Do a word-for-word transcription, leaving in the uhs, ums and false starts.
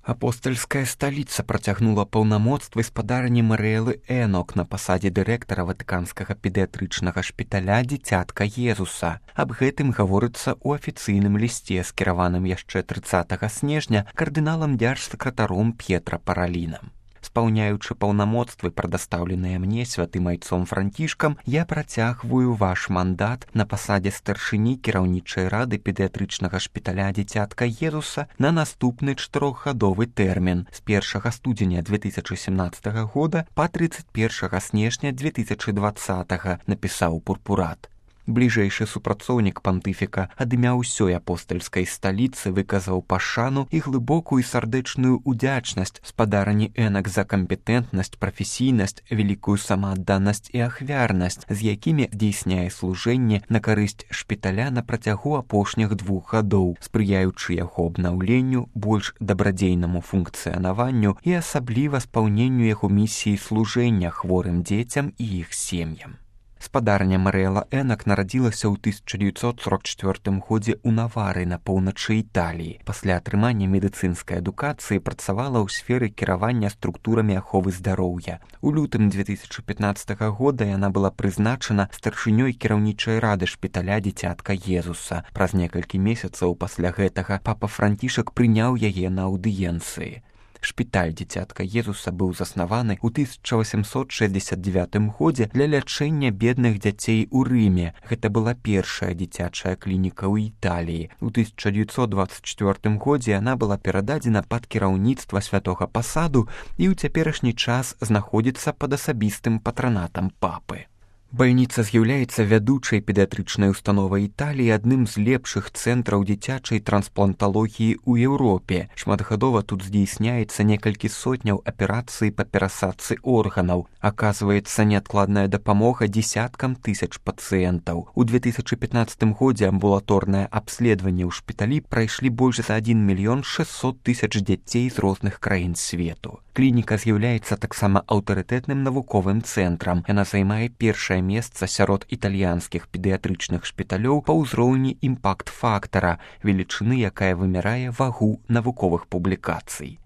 Апостальская сталіца працягнула паўнамоцтвы спадарні Марыэлы Энок на пасадзе дырэктара ватыканскага педыятрычнага шпіталя дзіцятка Езуса. Аб гэтым гаворыцца ў афіцыйным лісце, скіраваным яшчэ трыццатага снежня кардыналам дзяржсакратаром П'етра Паралінам. Спаўняючы паўнамоцтвы, прадастаўленыя мне святым айцом Францішкам, я працягваю ваш мандат на пасадзе старшыні кіраўнічай рады педыятрычнага шпіталя дзіцятка Езуса на наступны чатырохгадовы тэрмін з першага студзеня две тысячы семнаццатага года па трыццаць першага снежня две тысячы дваццатага, напісаў пурпурат. Бліжэйшы супрацоўнік пантыфіка ад імя ўсёй апостальскай сталіцы выказаў пашану і глыбокую сардэчную удзячнасць спадарні Энак за кампетэнтнасць, прафесійнасць, вялікую самаадданасць і ахвярнасць, з якімі здзейсняе служэнне на карысць шпіталя на працягу апошніх двух гадоў, спрыяючы яго абнаўленню, больш дабрадзейнаму функцыянаванню і асабліва спаўненню яго місіі служэння хворым дзецям і іх сем'ям. Спадарня Марыэла Энак нарадзілася ў тысяча дзевяцьсот сорок чвёртым годзе ў Навары на поўначы Італіі. Пасля атрымання медыцынскай адукацыі працавала ў сферы кіравання структурамі аховы здароўя. У лютым две тысячы пятнаццатага года яна была прызначана старшынёй кіраўнічай рады шпіталя дзіцятка Езуса. Праз некалькі месяцаў пасля гэтага папа Францішак прыняў яе на аўдыенцыі. Шпіталь дзіцятка Езуса быў заснаваны ў тысяча васямсот шэсцьдзесят дзевятым годзе для лячэння бедных дзяцей у Рыме. Гэта была першая дзіцячая клініка ў Італіі. У тысяча дзевяцьсот дваццаць чвёртым годзе яна была перададзена пад кіраўніцтва святога пасаду і ў цяперашні час знаходзіцца пад асабістым патранатам папы. Бальніца з'яўляецца вядучай педыятрычнай установай Італіі, адным з лепшых цэнтраў дзіцячай транспланталогіі ў Еўропе. Шматгадова тут здзейсняецца некалькі сотняў аперацый па перасадцы органаў. Аказваецца неадкладная дапамога дзесяткам тысяч пацыентаў. У две тысячы пятнаццатым годзе амбулаторнае абследаванне ў шпіталі прайшлі больш за адзін мільён шэсцьсот тысяч дзяцей з розных краін свету. Клініка з'яўляецца таксама аўтарытэтным навуковым цэнтрам. Яна займае першае месца сярод італьянскіх педыятрычных шпіталёў па ўзроўні імпакт-фактара, велічыны, якая вымярае вагу навуковых публікацый.